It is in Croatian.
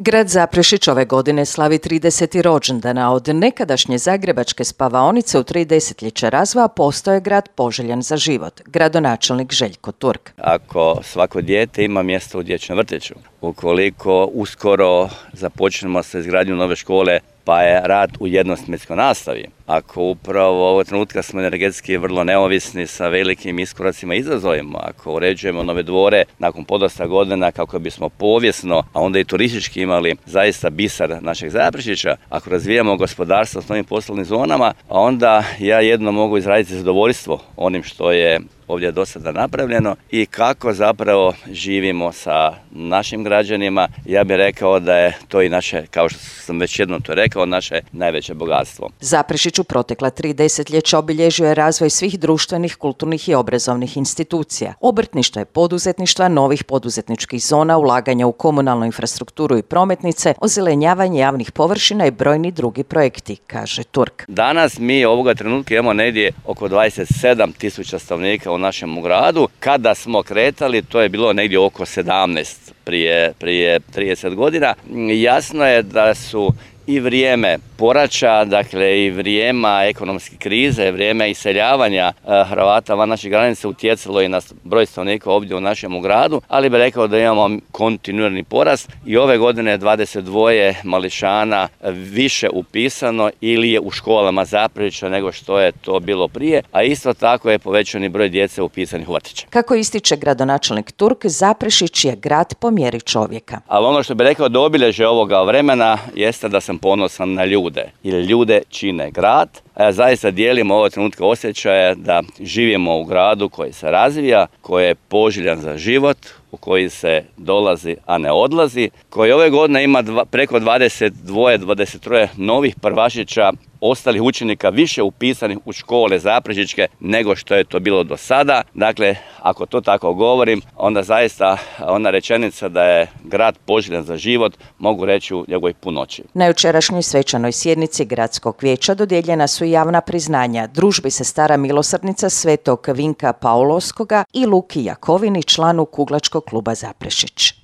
Grad Zaprešić ove godine slavi 30. rođendan, a od nekadašnje zagrebačke spavaonice u 3 desetljeća razvoja postaje grad poželjan za život. Gradonačelnik Željko Turk. Ako svako dijete ima mjesto u dječjem vrtiću, ukoliko uskoro započnemo sa izgradnjom nove škole, pa je rad u jednosmjenskoj nastavi. Ako upravo ovog trenutka smo energetski vrlo neovisni sa velikim iskoracima i izazovima, ako uređujemo nove dvore nakon podosta godina kako bismo povijesno, a onda i turistički imali zaista biser našeg Zaprešića, ako razvijamo gospodarstvo s novim poslovnim zonama, onda ja jedno mogu izraziti zadovoljstvo onim što je ovdje do sada napravljeno i kako zapravo živimo sa našim građanima. Ja bih rekao da je to i naše, kao što sam već jednom to rekao, naše najveće bogatstvo. Zaprešić u protekla 3 desetljeća obilježio je razvoj svih društvenih, kulturnih i obrazovnih institucija. Obrtništva i poduzetništva, novih poduzetničkih zona, ulaganja u komunalnu infrastrukturu i prometnice, ozelenjavanje javnih površina i brojni drugi projekti, kaže Turk. Danas mi ovoga trenutka imamo negdje oko 27.000 stanovnika u našem gradu. Kada smo kretali, to je bilo negdje oko 17 prije 30 godina. Jasno je da su i vrijeme poraća, dakle i vrijeme ekonomske krize, vrijeme iseljavanja Hrvata van naših granica utjecalo i na broj stanovnika ovdje u našem gradu, ali bih rekao da imamo kontinuirani porast i ove godine je 22 mališana više upisano ili je u školama Zaprešića nego što je to bilo prije, a isto tako je povećani broj djece upisanih u vrtiće. Kako ističe gradonačelnik Turk, Zaprešić je grad po mjeri čovjeka. Ali ono što bih rekao da obilježje ovoga vremena jeste da sam ponosan na ljude, jer ljude čine grad. A ja zaista dijelim ovog trenutka osjećaje da živimo u gradu koji se razvija, koji je poželjan za život, u koji se dolazi, a ne odlazi, koji ove godine ima preko 23 novih prvašića, ostalih učenika više upisanih u škole zaprešićke nego što je to bilo do sada. Dakle, ako to tako govorim, onda zaista ona rečenica da je grad poželjan za život mogu reći u njegovoj punoći. Na jučerašnjoj svečanoj sjednici gradskog vijeća dodijeljena su javna priznanja Družbi sestara milosrdnica Svetog Vinka Paulovskoga i Luki Jakovini, članu Kuglačkog kluba Zaprešić.